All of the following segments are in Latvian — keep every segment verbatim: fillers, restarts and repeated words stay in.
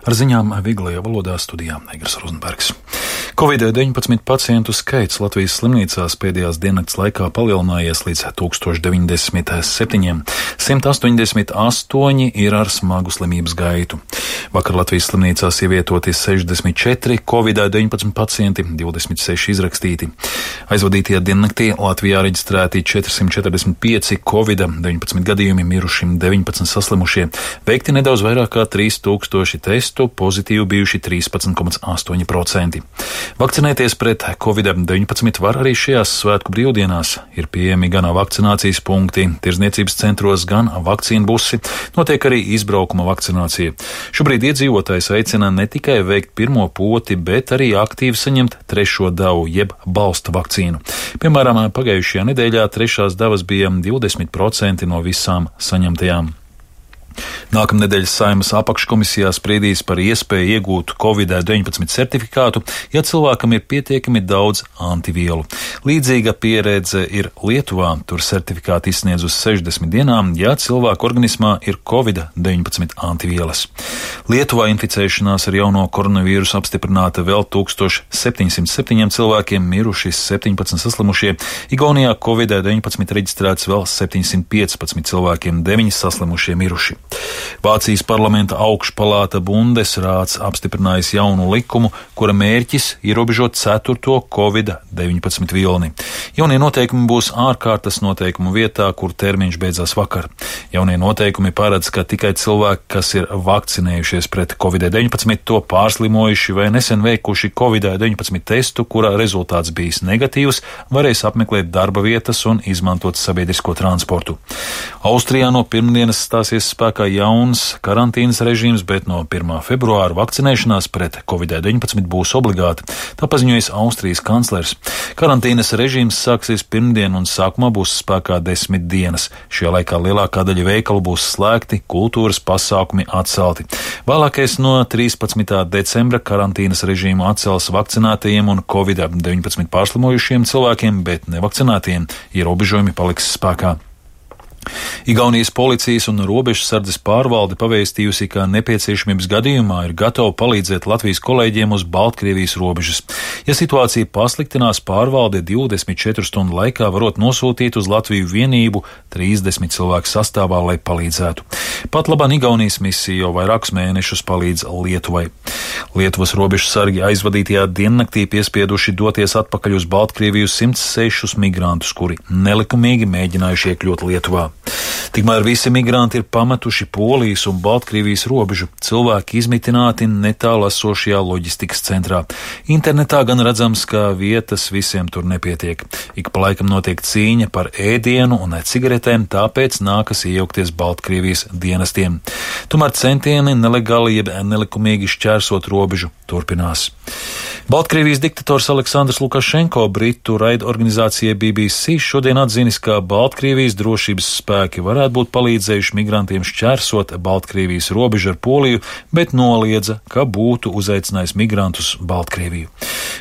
Ar ziņām viglajā valodā studijā Egers Rozenbergs. covid deviņpadsmit pacientu skaits Latvijas slimnīcās pēdējās diennakts laikā palielinājies līdz tūkstoš deviņdesmit septiņiem. simt astoņdesmit astoņi ir ar smagu slimības gaitu. Vakar Latvijas slimnīcās ievietoti sešdesmit četri covid deviņpadsmit pacienti, divdesmit seši izrakstīti. Aizvadītajā diennaktī Latvijā reģistrēti četrsimt četrdesmit pieci covid deviņpadsmit gadījumi, mirušiem deviņpadsmit saslimušie, veikti nedaudz vairāk kā trīs tūkstoši testu, pozitīvi bijuši trīspadsmit komats astoņi procenti. Vakcinēties pret covid deviņpadsmit var arī šajās svētku brīvdienās. Ir pieejami gan vakcinācijas punkti tirdzniecības centros, gan vakcīnu busi. Notiek arī izbraukuma vakcinācija. Šobrīd iedzīvotājs aicina ne tikai veikt pirmo poti, bet arī aktīvi saņemt trešo devu, jeb balsta vakcīnu. Piemēram, pagājušajā nedēļā trešās devas bija divdesmit procenti no visām saņemtajām. Nākamnedēļ Saeimas apakškomisijā spriedīs par iespēju iegūt covid deviņpadsmit certifikātu, ja cilvēkam ir pietiekami daudz antivielu. Līdzīga pieredze ir Lietuvā, tur certifikātu izsniedz uz sešdesmit dienām, ja cilvēka organismā ir covid deviņpadsmit antivielas. Lietuvā inficēšanās ar jauno koronavīrusu apstiprināta vēl tūkstoš septiņsimt septiņiem cilvēkiem, miruši septiņpadsmit saslimušie. Igaunijā covid deviņpadsmit reģistrēts vēl septiņsimt piecpadsmit cilvēkiem, deviņi saslimušie miruši. Vācijas parlamenta augšpalāta Bundesrāts apstiprinājis jaunu likumu, kura mērķis ierobežot ceturto covid deviņpadsmit vilni. Jaunie noteikumi būs ārkārtas noteikumu vietā, kur termiņš beidzās vakar. Jaunie noteikumi paredz, ka tikai cilvēki, kas ir vakcinējušies pret covid deviņpadsmit, to pārslimojuši vai nesen veikuši covid deviņpadsmit testu, kurā rezultāts bijis negatīvs, varēs apmeklēt darba vietas un izmantot sabiedrisko transportu. Austrijā no pirmdienas stāsies spēkā jauns karantīnas režīms, bet no pirmā februāra vakcinēšanās pret covid deviņpadsmit būs obligāti. Tā paziņojas Austrijas kanclers. Karantīnas režīms sāksies pirmdien un sākumā būs spēkā desmit dienas. Šajā laikā lielākā daļa veikalu būs slēgti, kultūras pasākumi atcelti. Vēlākais no trīspadsmitā decembra karantīnas režīmu atcels vakcinētajiem un covid deviņpadsmit pārslimojušiem cilvēkiem, bet nevakcinētiem ierobežojumi paliks spēkā. Igaunijas policijas un robežsardzes pārvalde pavēstījusi, ka nepieciešamības gadījumā ir gatava palīdzēt Latvijas kolēģiem uz Baltkrievijas robežas. Ja situācija pasliktinās, pārvalde divdesmit četru stundu laikā varot nosūtīt uz Latviju vienību trīsdesmit cilvēku sastāvā, lai palīdzētu. Pat labāk Igaunijas misija jau vairākus mēnešus palīdz Lietuvai. Lietuvas robežsargi aizvadītajā diennaktī piespieduši doties atpakaļ uz Baltkrieviju simts sešus migrantus, kuri nelikumīgi mēģinājuši iekļūt Lietuvā. Tikmēr visi migranti ir pametuši Polijas un Baltkrievijas robežu, cilvēki izmitināti netālu esošajā loģistikas centrā. Internetā gan redzams, ka vietas visiem tur nepietiek. Ik pa laikam notiek cīņa par ēdienu un cigaretēm, tāpēc nākas iejaukties Baltkrievijas dienestiem. Tomēr centieni nelegāli jeb nelikumīgi šķērsot robežu turpinās. Baltkrievijas diktators Aleksandrs Lukašenko Britu raidorganizācijai B B C šodien atzinis, ka Baltkrievijas drošības spēki varētu būt palīdzējuši migrantiem šķērsot Baltkrievijas robežu ar Poliju, bet noliedza, ka būtu uzaicinājis migrantus Baltkrieviju.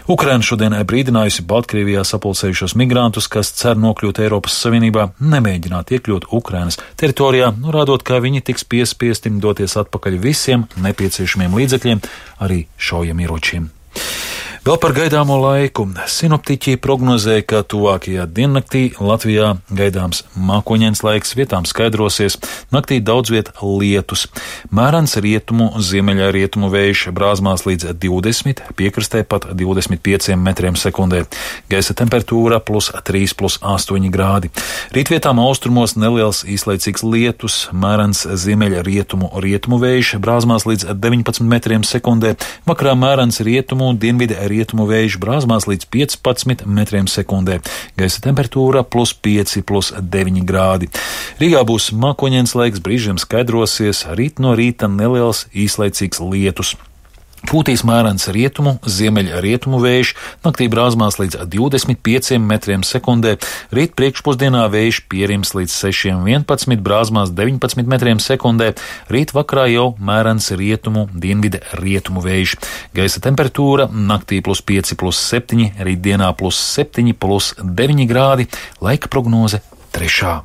Ukraina šodien brīdinājusi Baltkrievijā sapulcējušos migrantus, kas cer nokļūt Eiropas Savienībā, nemēģināt iekļūt Ukrainas teritorijā, norādot, ka viņi tiks piespiesti doties atpakaļ visiem nepieciešamiem līdzekļiem, arī šaujamieročiem. Vēl par gaidāmo laiku. Sinoptiķi prognozē, ka tuvākajā diennaktī Latvijā gaidāms mākoņains laiks, vietām skaidrosies, naktī daudz viet lietus. Mērens rietumu, ziemeļā rietumu vējš brāzmās līdz divdesmit, piekrastē pat divdesmit pieciem metriem sekundē. Gaisa temperatūra plus trīs, plus astoņi grādi. Rītvietām austrumos neliels īslaicīgs lietus, mērens ziemeļa rietumu, rietumu vējš brāzmās līdz deviņpadsmit metriem sekundē. Vakarā mērens rietumu, dienvidi rietumu vējš brāzmās līdz piecpadsmit metriem sekundē. Gaisa temperatūra plus pieci, plus deviņi grādi. Rīgā būs mākoņains laiks, brīžiem skaidrosies, rīt no rīta neliels īslaicīgs lietus. Pūtīs mērens rietumu, ziemeļa rietumu vējš, naktī brāzmās līdz divdesmit pieciem metriem sekundē, rīt priekšpusdienā vējš pierims līdz sešiem vienpadsmit, brāzmās deviņpadsmit metriem sekundē, rīt vakarā jau mērens rietumu, dienvide rietumu vējš. Gaisa temperatūra naktī plus pieci, plus septiņi, rīt dienā plus septiņi, plus deviņi grādi, laika prognoze trešā.